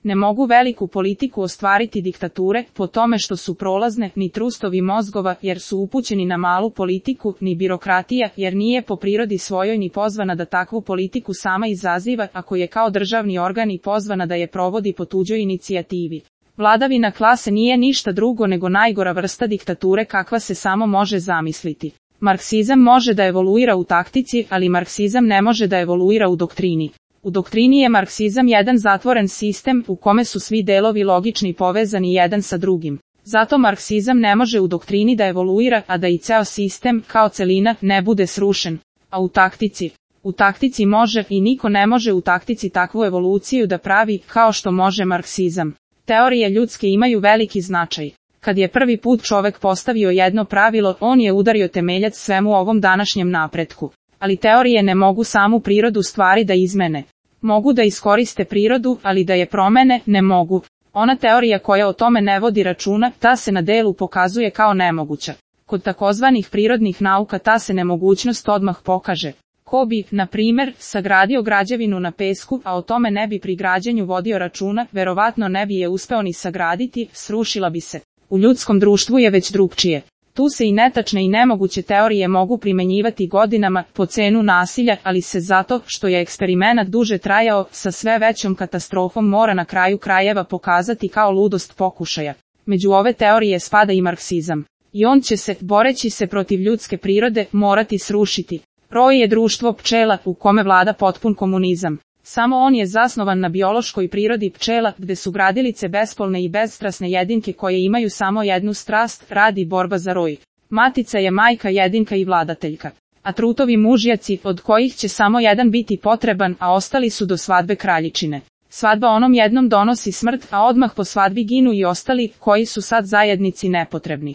Ne mogu veliku politiku ostvariti diktature, po tome što su prolazne, ni trustovi mozgova, jer su upućeni na malu politiku, ni birokratija, jer nije po prirodi svojoj ni pozvana da takvu politiku sama izaziva, ako je kao državni organ i pozvana da je provodi po tuđoj inicijativi. Vladavina klase nije ništa drugo nego najgora vrsta diktature kakva se samo može zamisliti. Marksizam može da evoluira u taktici, ali marksizam ne može da evoluira u doktrini. U doktrini je marksizam jedan zatvoren sistem u kome su svi delovi logični povezani jedan sa drugim. Zato marksizam ne može u doktrini da evoluira, a da i ceo sistem, kao celina, ne bude srušen. A u taktici? U taktici može i niko ne može u taktici takvu evoluciju da pravi, kao što može marksizam. Teorije ljudske imaju veliki značaj. Kad je prvi put čovek postavio jedno pravilo, on je udario temeljac svemu ovom današnjem napretku. Ali teorije ne mogu samu prirodu stvari da izmene. Mogu da iskoriste prirodu, ali da je promene, ne mogu. Ona teorija koja o tome ne vodi računa, ta se na delu pokazuje kao nemoguća. Kod takozvanih prirodnih nauka ta se nemogućnost odmah pokaže. Ko bi, na primer, sagradio građevinu na pesku, a o tome ne bi pri građenju vodio računa, verovatno ne bi je uspeo ni sagraditi, srušila bi se. U ljudskom društvu je već drugčije. Tu se i netačne i nemoguće teorije mogu primenjivati godinama, po cenu nasilja, ali se zato, što je eksperimenat duže trajao, sa sve većom katastrofom mora na kraju krajeva pokazati kao ludost pokušaja. Među ove teorije spada i marksizam. I on će se, boreći se protiv ljudske prirode, morati srušiti. Roj je društvo pčela, u kome vlada potpun komunizam. Samo on je zasnovan na biološkoj prirodi pčela, gde su gradilice bespolne i bezstrasne jedinke koje imaju samo jednu strast, rad i borba za roj. Matica je majka jedinka i vladateljka. A trutovi mužjaci, od kojih će samo jedan biti potreban, a ostali su do svadbe kraljičine. Svadba onom jednom donosi smrt, a odmah po svadbi ginu i ostali, koji su sad zajednici nepotrebni.